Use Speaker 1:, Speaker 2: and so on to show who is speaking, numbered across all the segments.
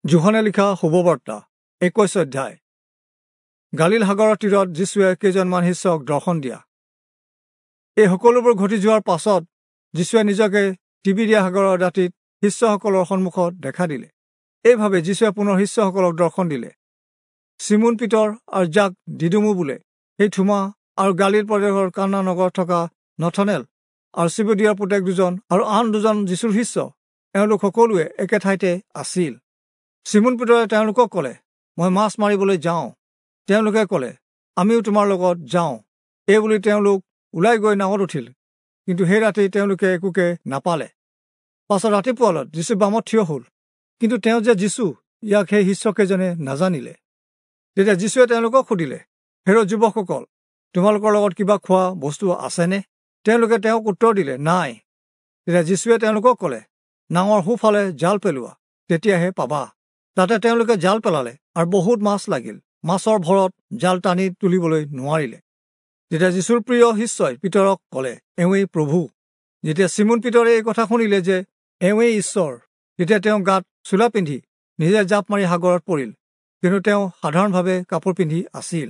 Speaker 1: যোহনে লিখা শুভবাৰ্তা 21 অধ্যায়। গালীল সাগৰৰ তীৰত যীশুৱে কেইজনমান শিষ্যক দৰ্শন দিয়া। এই সকলোবোৰ ঘটি যোৱাৰ পাছত যীশুৱে নিজকে তিবিৰিয়া সাগৰৰ দাঁতিত শিষ্যসকলৰ সন্মুখত দেখা দিলে। এইভাবে যীশুৱে পুনৰ শিষ্যসকলক দৰ্শন দিলে। চিমোন পিতৰ আৰু যাক দিদুমু বোলে সেই থোমা আৰু গালীল প্ৰদেশৰ কানা নগৰত থকা নথনেল আৰু চিবদিয়াৰ পুতেক দুজন আৰু আন দুজন যীশুৰ শিষ্য, এওঁলোক সকলোৱে একে ঠাইতে আছিল। চিমোন পিতৰে তেওঁলোকক ক'লে, মই মাছ মাৰিবলৈ যাওঁ। তেওঁলোকে ক'লে, আমিও তোমাৰ লগত যাওঁ। এইবুলি তেওঁলোক ওলাই গৈ নাৱত উঠিল, কিন্তু সেই ৰাতি তেওঁলোকে একোকে নাপালে। পাছত ৰাতিপুৱালত যীশু বামত থিয় হ'ল, কিন্তু তেওঁ যে যীশু ইয়াক সেই শিষ্যকেইজনে নাজানিলে। তেতিয়া যীশুৱে তেওঁলোকক সুধিলে, হেৰ যুৱকসকল, তোমালোকৰ লগত কিবা খোৱা বস্তু আছেনে? তেওঁলোকে তেওঁক উত্তৰ দিলে, নাই। তেতিয়া যীশুৱে তেওঁলোকক ক'লে, নাৱৰ সোঁফালে জাল পেলোৱা, তেতিয়াহে পাবা। তাতে তেওঁলোকে জাল পেলালে আৰু বহুত মাছ লাগিল। মাছৰ ভৰত জাল টানি তুলিবলৈ নোৱাৰিলে। তেতিয়া যীশুৰ প্ৰিয় শিষ্যই পিতৰক ক'লে, এওঁৱেই প্ৰভু। যেতিয়া চিমোন পিতৰে এই কথা শুনিলে যে এওঁৱেই ঈশ্বৰ, তেতিয়া তেওঁ গাত চোলা পিন্ধি নিজে জাঁপ মাৰি সাগৰত পৰিল, কিন্তু তেওঁ সাধাৰণভাৱে কাপোৰ পিন্ধি আছিল।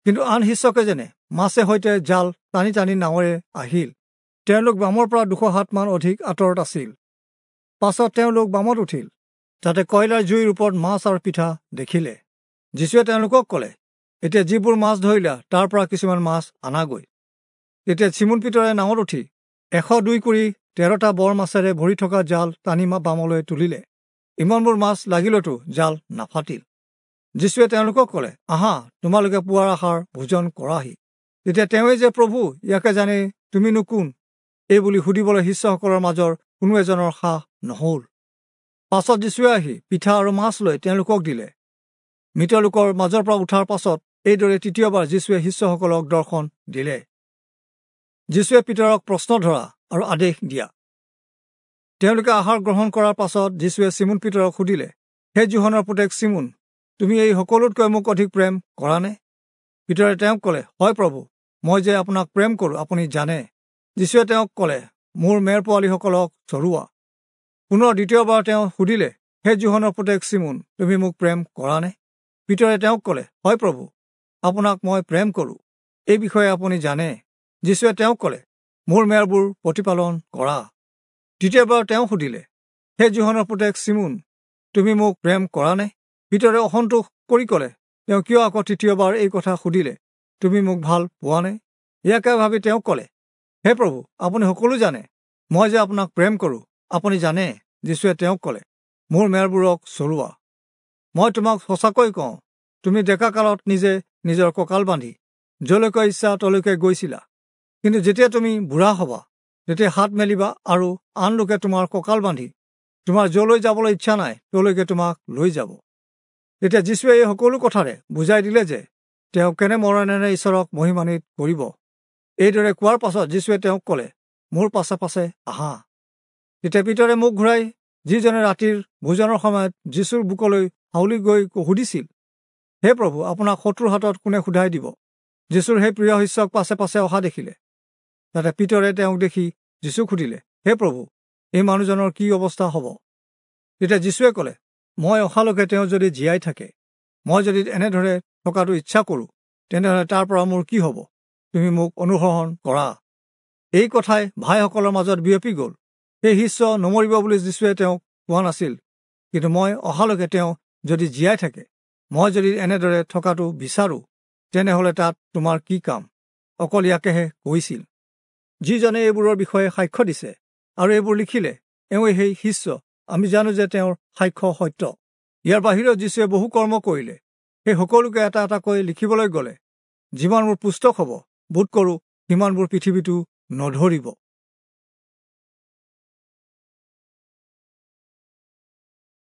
Speaker 1: কিন্তু আন শিষ্যকেইজনে মাছে সৈতে জাল টানি টানি নাৱেৰে আহিল। তেওঁলোক বামৰ পৰা 200 হাতমান অধিক আঁতৰত আছিল। পাছত তেওঁলোক বামত উঠিল, তাতে কয়লাৰ জুইৰ ওপৰত মাছ আৰু পিঠা দেখিলে। যীশুৱে তেওঁলোকক ক'লে, এতিয়া যিবোৰ মাছ ধৰিলা তাৰ পৰা কিছুমান মাছ আনাগৈ। তেতিয়া চিমোন পিতৰে নাৱত উঠি 102 কুৰি 13টা বৰ মাছেৰে ভৰি থকা জাল টানি বামলৈ তুলিলে। ইমানবোৰ মাছ লাগিলতো জাল নাফাটিল। যীশুৱে তেওঁলোকক ক'লে, আহা, তোমালোকে পুৱাৰ আহাৰ ভোজন কৰাহি। তেতিয়া তেওঁৱেই যে প্ৰভু, ইয়াকে জানি তুমিনো কোন, এই বুলি সুধিবলৈ শিষ্যসকলৰ মাজৰ কোনো এজনৰ সাহ নহ'ল। পাছত যীশুৱে আহি পিঠা আৰু মাছ লৈ তেওঁলোকক দিলে। মৃত লোকৰ মাজৰ পৰা উঠাৰ পাছত এইদৰে তৃতীয়বাৰ যীশুৱে শিষ্যসকলক দৰ্শন দিলে। যীশুৱে পিতৰক প্ৰশ্ন ধৰা আৰু আদেশ দিয়া। তেওঁলোকে আহাৰ গ্ৰহণ কৰাৰ পাছত যীশুৱে চিমোন পিতৰক সুধিলে, হে যোহনৰ পুতেক চিমোন, তুমি এই সকলোতকৈ মোক অধিক প্ৰেম কৰানে? পিতৰে তেওঁক ক'লে, হয় প্ৰভু, মই যে আপোনাক প্ৰেম কৰোঁ আপুনি জানে। যীশুৱে তেওঁক ক'লে, মোৰ মেৰ পোৱালীসকলক চৰোৱা। পুনৰ দ্বিতীয়বাৰ তেওঁ সুধিলে, হে যোহনৰ পুতেক চিমোন, তুমি মোক প্ৰেম কৰানে? পিতৰে তেওঁক ক'লে, হয় প্ৰভু, আপোনাক মই প্ৰেম কৰোঁ, এই বিষয়ে আপুনি জানে। যীশুৱে তেওঁক ক'লে, মোৰ মেৰবোৰ প্ৰতিপালন কৰা। তৃতীয়বাৰ তেওঁ সুধিলে, হে যোহনৰ পুতেক চিমোন, তুমি মোক প্ৰেম কৰানে? পিতৰে অসন্তোষ কৰি ক'লে, তেওঁ কিয় আকৌ তৃতীয়বাৰ এই কথা সুধিলে, তুমি মোক ভাল পোৱানে? ইয়াকে ভাবি তেওঁ ক'লে, হে প্ৰভু, আপুনি সকলো জানে, মই যে আপোনাক প্ৰেম কৰোঁ আপুনি জানে। যীশুৱে তেওঁক ক'লে, মোৰ মেৰবোৰক চৰোৱা। মই তোমাক সঁচাকৈ কওঁ, তুমি ডেকা কালত নিজে নিজৰ কঁকাল বান্ধি যলৈকে ইচ্ছা তলৈকে গৈছিলা, কিন্তু যেতিয়া তুমি বুঢ়া হ'বা তেতিয়া হাত মেলিবা আৰু আন লোকে তোমাৰ কঁকাল বান্ধি তোমাৰ যলৈ যাবলৈ ইচ্ছা নাই তলৈকে তোমাক লৈ যাব। তেতিয়া যীশুৱে এই সকলো কথাৰে বুজাই দিলে যে তেওঁ কেনে মৰণেৰে ঈশ্বৰক মহিমান্বিত কৰিব। এইদৰে কোৱাৰ পাছত যীশুৱে তেওঁক ক'লে, মোৰ পাছে পাছে আহা। তেতিয়া পিতৰে মুখ ঘূৰাই যিজনে ৰাতিৰ ভোজনৰ সময়ত যীশুৰ বুকলৈ হাউলি গৈ সুধিছিল, হে প্ৰভু, আপোনাক শত্ৰুৰ হাতত কোনে সোধাই দিব? যীশুৰ সেই প্ৰিয় শিষ্যক পাছে পাছে অহা দেখিলে। তাতে পিতৰে তেওঁক দেখি যীশুক সুধিলে, হে প্ৰভু, এই মানুহজনৰ কি অৱস্থা হ'ব? তেতিয়া যীশুৱে ক'লে, মই অহালৈকে তেওঁ যদি জীয়াই থাকে, মই যদি এনেদৰে থকাটো ইচ্ছা কৰোঁ, তেনেহ'লে তাৰ পৰা মোৰ কি হ'ব? তুমি মোক অনুসৰণ কৰা। এই কথাই ভাইসকলৰ মাজত বিয়পি গ'ল। সেই শিষ্য নমৰিব বুলি যীশুৱে তেওঁক কোৱা নাছিল, কিন্তু মই অহালৈকে তেওঁ যদি জীয়াই থাকে, মই যদি এনেদৰে থকাটো বিচাৰোঁ, তেনেহ'লে তাত তোমাৰ কি কাম? অকল ইয়াকেহে কৈছিল। যিজনে এইবোৰৰ বিষয়ে সাক্ষ্য দিছে আৰু এইবোৰ লিখিলে, এওঁৱেই সেই শিষ্য। আমি জানো যে তেওঁৰ সাক্ষ্য সত্য। ইয়াৰ বাহিৰেও যীশুৱে বহু কৰ্ম কৰিলে। সেই সকলোকে এটা এটাকৈ লিখিবলৈ গ'লে যিমানবোৰ পুস্তক হ'ব, বোধ কৰোঁ সিমানবোৰ পৃথিৱীটো নধৰিব।